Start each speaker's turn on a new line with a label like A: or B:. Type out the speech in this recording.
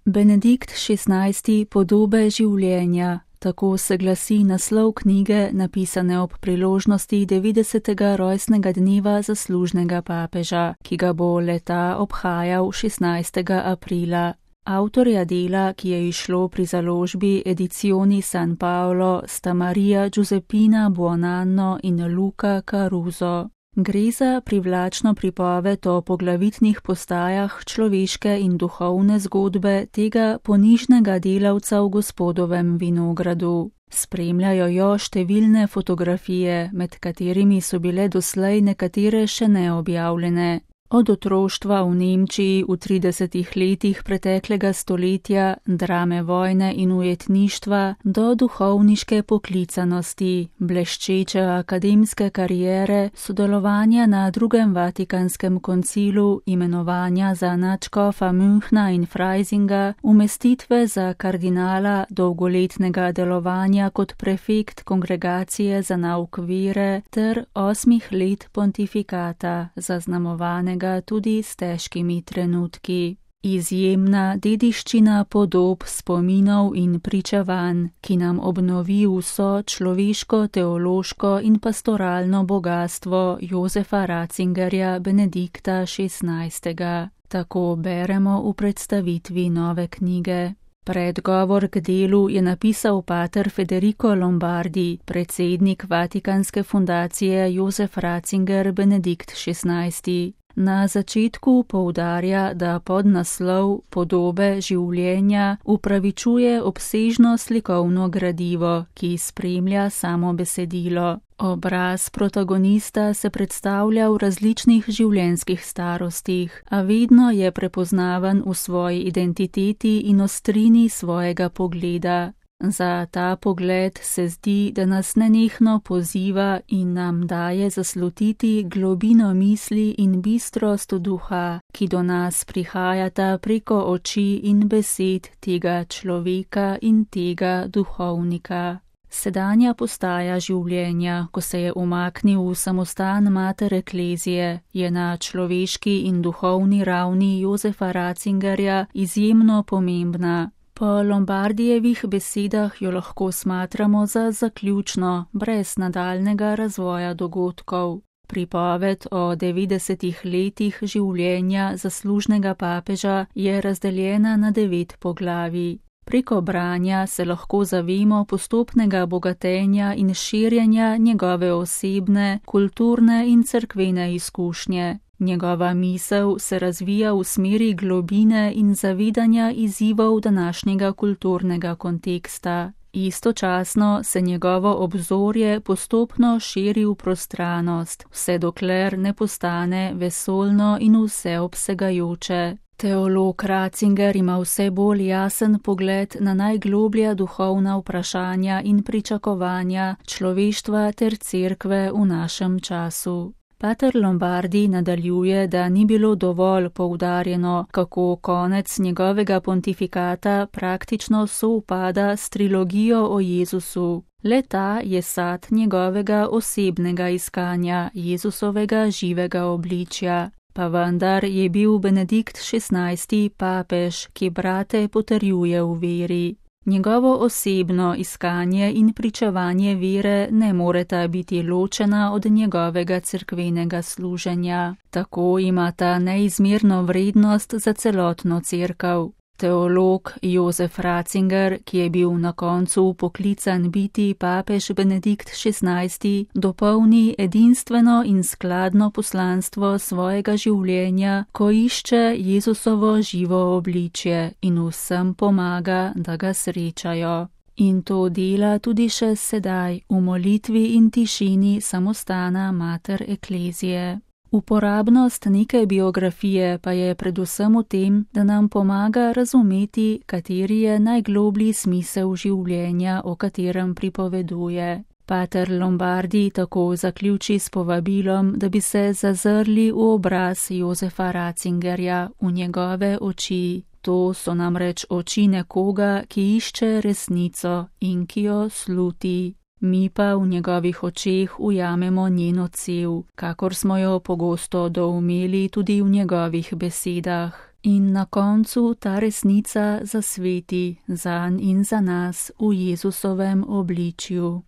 A: Benedikt XVI. Podobe življenja. Tako se glasi naslov knjige, napisane ob priložnosti 90. rojstnega dneva zaslužnega papeža, ki ga bo leta obhajal 16. aprila. Avtorja dela, ki je izšlo pri založbi Edizioni San Paolo, sta Maria Giuseppina Buonanno in Luca Caruso. Gre za privlačno pripoved o poglavitnih postajah človeške in duhovne zgodbe tega ponižnega delavca v Gospodovem vinogradu. Spremljajo jo številne fotografije, med katerimi so bile doslej nekatere še neobjavljene. Od otroštva v Nemčiji v 30. letih preteklega stoletja, drame vojne in ujetništva, do duhovniške poklicanosti, bleščeče akademske kariere, sodelovanja na drugem Vatikanskem koncilu, imenovanja za nadškofa Münchna in Freisinga, umestitve za kardinala, dolgoletnega delovanja kot prefekt kongregacije za nauk vere ter 8 let pontifikata, zaznamovane tudi s težkimi trenutki. Izjemna dediščina podob, spominov in pričevanj, ki nam obnovi vso človeško, teološko in pastoralno bogastvo Josefa Ratzingerja Benedikta XVI. Tako beremo v predstavitvi nove knjige. Predgovor k delu je napisal pater Federico Lombardi, predsednik Vatikanske fundacije Josef Ratzinger Benedikt XVI. Na začetku poudarja, da podnaslov Podobe življenja upravičuje obsežno slikovno gradivo, ki spremlja samo besedilo. Obraz protagonista se predstavlja v različnih življenjskih starostih, a vedno je prepoznaven v svoji identiteti in ostrini svojega pogleda. Za ta pogled se zdi, da nas nenehno poziva in nam daje zaslutiti globino misli in bistrost duha, ki do nas prihajata preko oči in besed tega človeka in tega duhovnika. Sedanja postaja življenja, ko se je umaknil v samostan mater Eklezije, je na človeški in duhovni ravni Josefa Ratzingerja izjemno pomembna. Po Lombardijevih besedah jo lahko smatramo za zaključno, brez nadaljnega razvoja dogodkov. Pripoved o 90 letih življenja zaslužnega papeža je razdeljena na 9 poglavij. Preko branja se lahko zavemo postopnega bogatenja in širjenja njegove osebne, kulturne in cerkvene izkušnje. Njegova misel se razvija v smeri globine in zavedanja izzivov današnjega kulturnega konteksta. Istočasno se njegovo obzorje postopno širi v prostranost, vse dokler ne postane vesoljno in vseobsegajoče. Teolog Ratzinger ima vse bolj jasen pogled na najgloblja duhovna vprašanja in pričakovanja človeštva ter cerkve v našem času. Pater Lombardi nadaljuje, da ni bilo dovolj poudarjeno, kako konec njegovega pontifikata praktično sovpada s trilogijo o Jezusu. Le ta je sad njegovega osebnega iskanja Jezusovega živega obličja. Pa vendar je bil Benedikt XVI. Papež, ki brate potrjuje v veri. Njegovo osebno iskanje in pričevanje vere ne moreta biti ločena od njegovega cerkvenega služenja. Tako imata neizmerno vrednost za celotno cerkev. Teolog Josef Ratzinger, ki je bil na koncu poklican biti papež Benedikt XVI., dopolni edinstveno in skladno poslanstvo svojega življenja, ko išče Jezusovo živo obličje in vsem pomaga, da ga srečajo. In to dela tudi še sedaj v molitvi in tišini samostana mater Eklezije. Uporabnost neke biografije pa je predvsem v tem, da nam pomaga razumeti, kateri je najgloblji smisel življenja, o katerem pripoveduje. Pater Lombardi tako zaključi s povabilom, da bi se zazrli v obraz Josefa Ratzingerja, v njegove oči. To so namreč oči nekoga, ki išče resnico in ki jo sluti. Mi pa v njegovih očeh ujamemo njeno cev, kakor smo jo pogosto doumeli tudi v njegovih besedah. In na koncu ta resnica zasveti zanj in za nas v Jezusovem obličju.